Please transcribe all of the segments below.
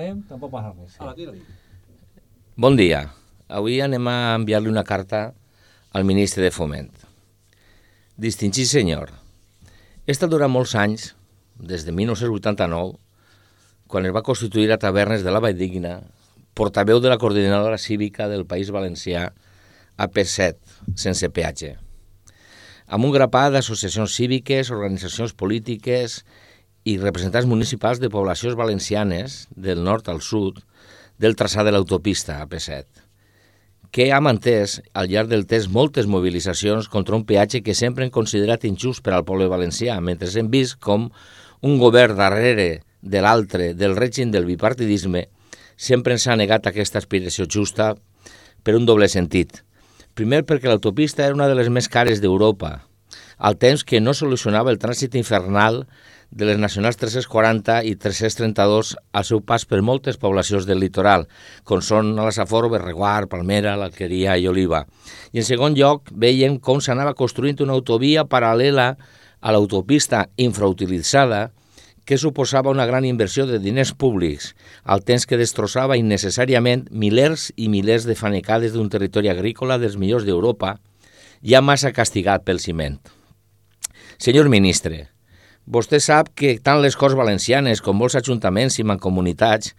Tampoc passa res. Hola, tira-li. Bon dia. Avui anem a enviar-li una carta al ministre de Foment. Distingit senyor, he estat durant molts anys, des de 1989, quan es va constituir a Tavernes de la Valldigna, portaveu de la coordinadora cívica del País Valencià AP7, sense peatge, amb un grapat d'associacions cíviques, organitzacions polítiques i representants municipals de poblacions valencianes, del nord al sud, del traçat de l'autopista AP7, que ha mantès al llarg del temps moltes mobilitzacions contra un peatge que sempre hem considerat injust per al poble valencià, mentre hem vist com un govern darrere de l'altre del règim del bipartidisme sempre ens ha negat aquesta aspiració justa per un doble sentit. Primer, perquè l'autopista era una de les més cares d'Europa, al temps que no solucionava el trànsit infernal de les nacionals 340 i 332 al seu pas per moltes poblacions del litoral, com són la Safor, Berreguar, Palmera, l'Alqueria i Oliva. I en segon lloc, veiem com s'anava construint una autovia paral·lela a l'autopista infrautilitzada que suposava una gran inversió de diners públics, al temps que destrossava innecessàriament milers i milers de fanecades d'un territori agrícola dels millors d'Europa, ja massa castigat pel ciment. Senyor ministre, vostè sap que tant les Corts Valencianes com molts ajuntaments i mancomunitats,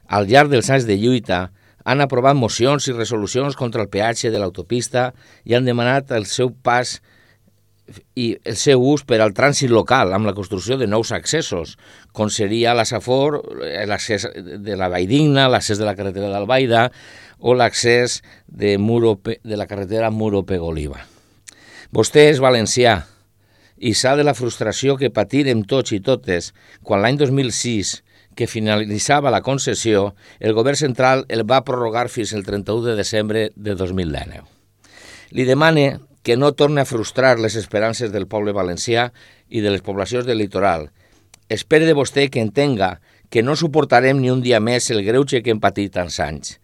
al llarg dels anys de lluita, han aprovat mocions i resolucions contra el peatge de l'autopista i han demanat el seu pas i el seu ús per al trànsit local amb la construcció de nous accessos, com seria la Safor, l'accés de la Valldigna, l'accés de la carretera d'Albaida o l'accés de la carretera Muro-Pegoliva. Vostè és valencià i sap de la frustració que patirem tots i totes quan l'any 2006, que finalitzava la concessió, el govern central el va prorrogar fins al 31 de desembre de 2019. Li demane que no torni a frustrar les esperances del poble valencià i de les poblacions del litoral. Espere de vostè que entenga que no suportarem ni un dia més el greuge que hem patit tants anys.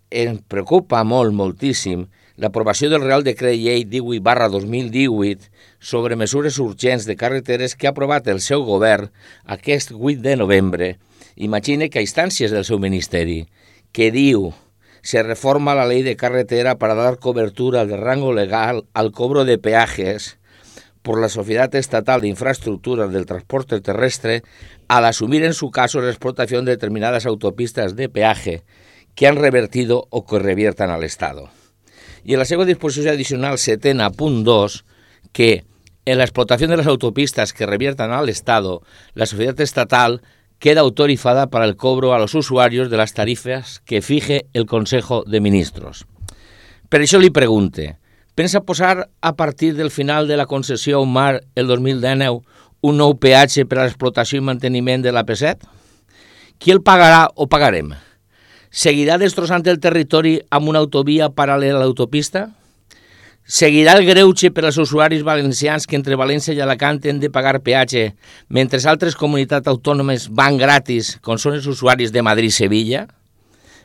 Em preocupa moltíssim l'aprovació del Real Decret Llei 18/2018 sobre mesures urgents de carreteres que ha aprovat el seu govern aquest 8 de novembre. Imagine que a instàncies del seu ministeri, que diu: se reforma la ley de carretera para dar cobertura de rango legal al cobro de peajes por la Sociedad Estatal de Infraestructuras del Transporte Terrestre al asumir en su caso la explotación de determinadas autopistas de peaje que han revertido o que reviertan al Estado. Y en la segunda disposición adicional 7.2, que en la explotación de las autopistas que reviertan al Estado, la Sociedad Estatal queda autorizada para el cobro a los usuarios de las tarifas que fije el Consejo de Ministros. Per això li pregunte, pensa posar a partir del final de la concessió a UMAR el 2019 un nou peatge per a l'explotació i manteniment de l'AP7? Qui el pagarà o pagarem? Seguirà destrossant el territori amb una autovia paral·lela a l'autopista? Seguirà el greuge per als usuaris valencians que entre València i Alacant han de pagar peatge, mentre altres comunitats autònomes van gratis, com són els usuaris de Madrid i Sevilla?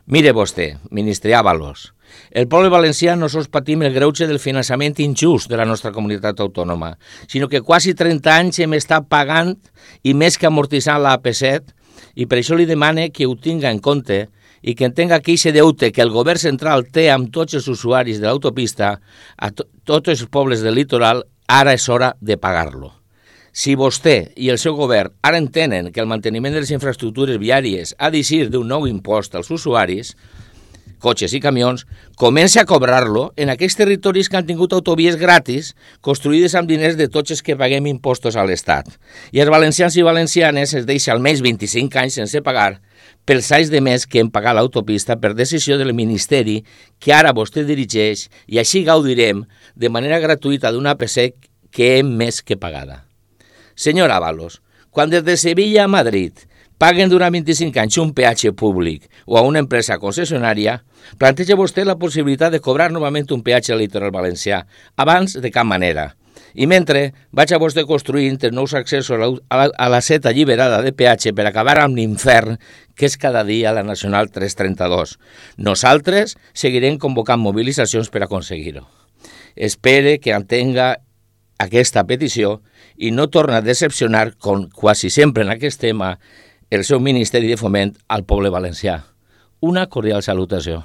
Mire vostè, ministre Ábalos, el poble valencià no sols patim el greuge del finançament injust de la nostra comunitat autònoma, sinó que quasi 30 anys hem estat pagant i més que amortitzant la AP7, i per això li demane que ho tinga en compte i que entenga que aquest deute que el govern central té amb tots els usuaris de l'autopista, a tots els pobles del litoral, ara és hora de pagar-lo. Si vostè i el seu govern ara entenen que el manteniment de les infraestructures viàries ha d'eixir d'un nou impost als usuaris, cotxes i camions, comença a cobrar-lo en aquells territoris que han tingut autovies gratis construïdes amb diners de tots els que paguem impostos a l'Estat. I els valencians i valencianes es deixa almenys 25 anys sense pagar pels anys de més que hem pagat l'autopista per decisió del Ministeri que ara vostè dirigeix, i així gaudirem de manera gratuïta d'una AP7 que hem més que pagada. Senyor Ábalos, quan des de Sevilla a Madrid paguen durant 25 anys un peatge públic o a una empresa concessionària, planteja vostè la possibilitat de cobrar novament un peatge al litoral valencià, abans de cap manera. I mentre vaig a vostè construint els nous accessos a la seta alliberada de peatge per acabar amb l'infern que és cada dia la Nacional 332. Nosaltres seguirem convocant mobilitzacions per aconseguir-ho. Espere que entenga aquesta petició i no torna a decepcionar, com quasi sempre en aquest tema, el seu Ministeri de Foment al poble valencià. Una cordial salutació.